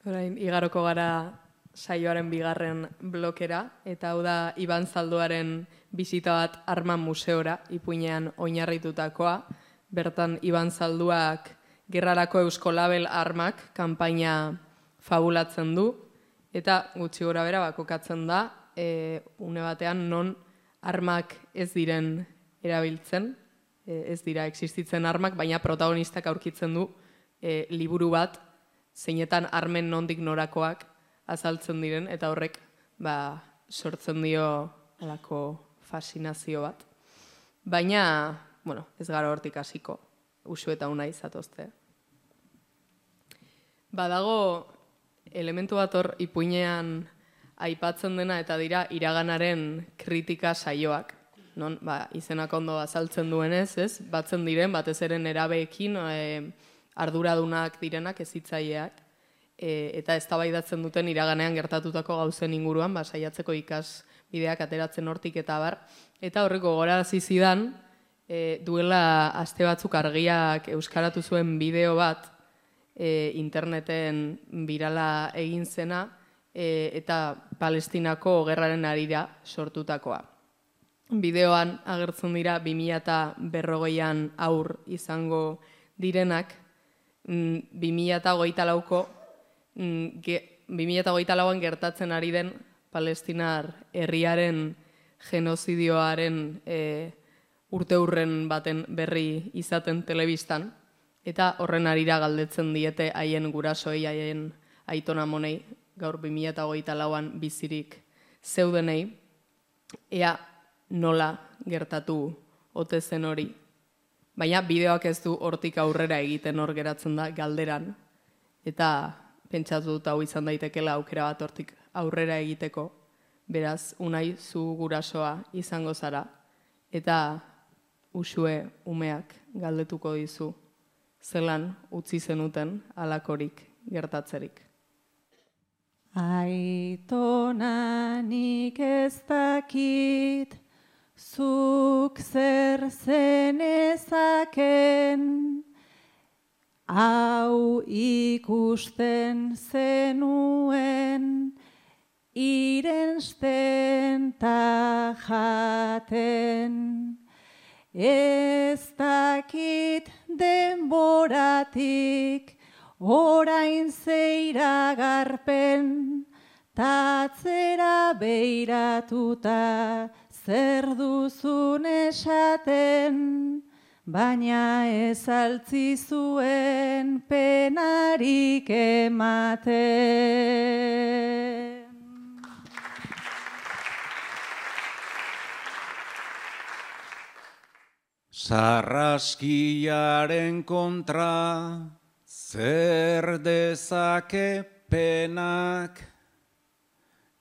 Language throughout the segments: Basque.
Orain, igaroko gara saioaren bigarren blokera, eta hau da Iban Zalduaren bisita bat Arma Museora, Ipuinean oinarritutakoa. Bertan, Iban Zalduak Gerrarako Eusko Label Armak kanpaina fabulatzen du, eta gutxi gora bera kokatzen da, une batean non armak ez diren erabiltzen, ez dira existitzen armak, baina protagonistak aurkitzen du liburu bat, zeinetan armen nondik norakoak azaltzen diren, eta horrek sortzen dio alako fascinazio bat. Baina, ez gara hortik hasiko, Usu eta Unai zatozte. Badago elementu bat hor ipuinean aipatzen dena eta dira iraganaren kritika saioak. Non, izenak ondo azaltzen duenez, ez? Batzen diren, batez ere nerabeekin, arduradunak direnak, hezitzaileak, eta eztabaidatzen duten iraganean gertatutako gauzen inguruan, saiatzeko ikasbideak ateratzen hortik eta bar. Eta horreko gogorarazi zidan, duela aste batzuk Argiak euskaratu zuen bideo bat, interneten birala egin zena, eta Palestinako gerraren harira sortutakoa. Bideoan agertzen dira 2040an aur izango direnak, 2024an gertatzen ari den Palestinar herriaren genozidioaren urteurren baten berri izaten telebistan, eta horren harira galdetzen diete haien gurasoei, haien aitona monei, gaur 2024an bizirik zeudenei, ea nola gertatu ote zen hori. Baina bideoak ez du hortik aurrera egiten, hor geratzen da galderan, eta pentsatu dut hau izan daitekela aukera bat hortik aurrera egiteko, beraz, Unai, zu gurasoa izango zara, eta Usue umeak galdetuko dizu, zelan utzi zenuten halakorik gertatzerik. Aitona, nik ez dakit, zuk zer zenezaken, hau ikusten zenuen, irensten ta jaten. Ez dakit denboratik, orain zeiragarpen, tatzera beiratuta zer duzun esaten, baina ez altzi zuen penarik ematen. Sarraskiaren kontra zer dezake penak,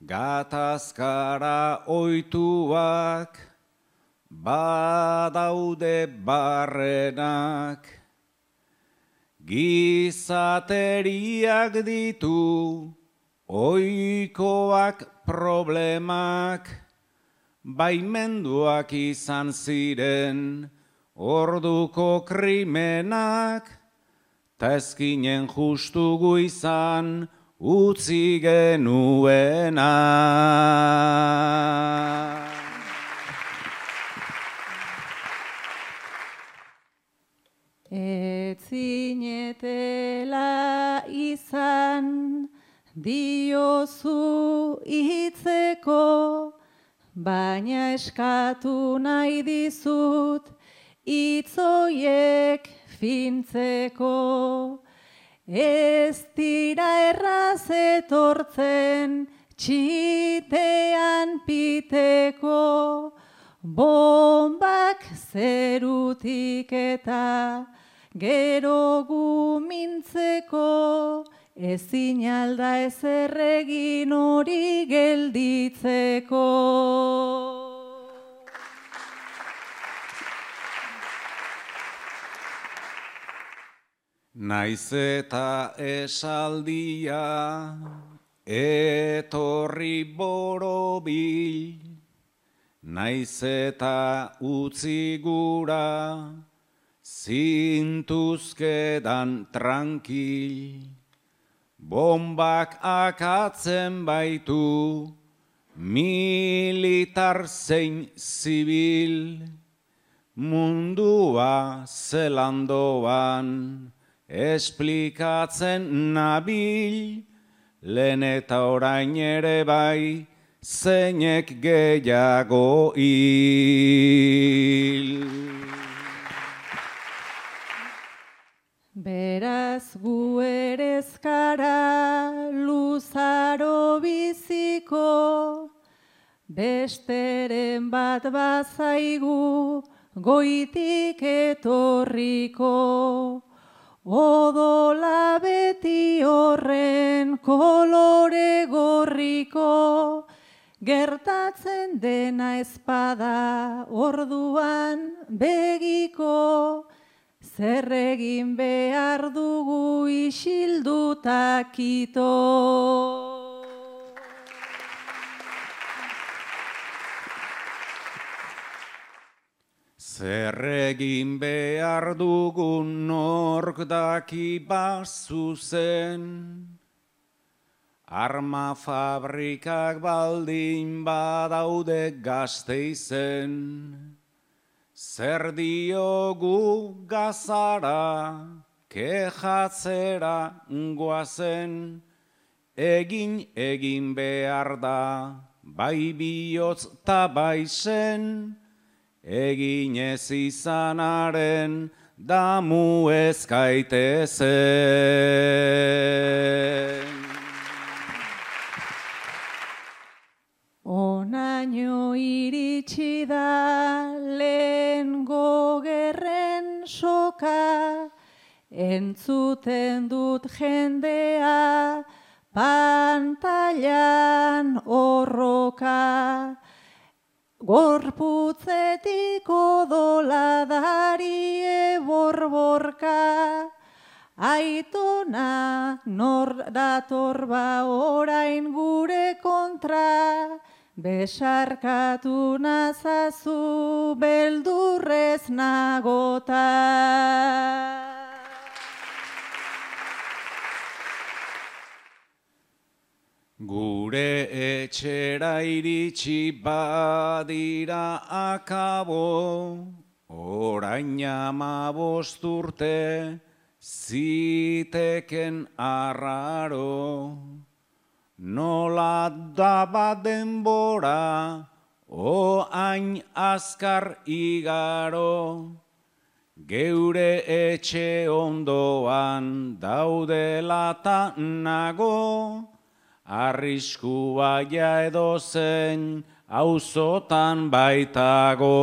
gatazkara ohituak badaude barrenak, gizateriak ditu ohikoak problemak, baimenduak izan ziren orduko krimenak, ta ezkinen justugu izan utzi genuena. Etzinetela izan diozu hitzeko, baina eskatu nahi dizut hitzoiek fintzeko. Ez dira erraz etortzen txitean piteko, bombak zerutik eta gero gumintzeko, ezin alda ezer egin hori gelditzeko. Naiz eta esaldia etorri borobil, naiz eta utzi gura zintuzkedan tranquil, bombak akatzen baitu, militar zein zibil, mundua zelandoan, esplikatzen nabil, lehen eta orain ere bai, zeinek gehiago hil. Beraz gu ere ez gara luzaro biziko, besteren bat bazaigu goitik etorriko. Odola beti horren kolore gorriko, gertatzen dena ezpada orduan begiko, zer egin behar dugu isilduta kito. Zer egin behar dugun nork daki bazuzen, arma fabrikak baldin badaude Gasteizen. Zer diogu Gazara, kejatzera goazen, egin behar da, bai bihotz ta bai sen, egin ez izanaren damu ez gaitezen. Onaino iritsi da lehengo gerren soka, entzuten dut jendea pantailan horroka. Gorputzetik odoladari borborka, aitona nor dator ba orain gure kontra, besarkatu nazazu beldurrez nagota. Gure etxera iritsi badira akabo, orain 15 urte ziteken arraro. Nola da bat denbora, oain azkar igaro, geure etxe ondoan daudela ta nago, arriskua ja edozein auzotan baitago.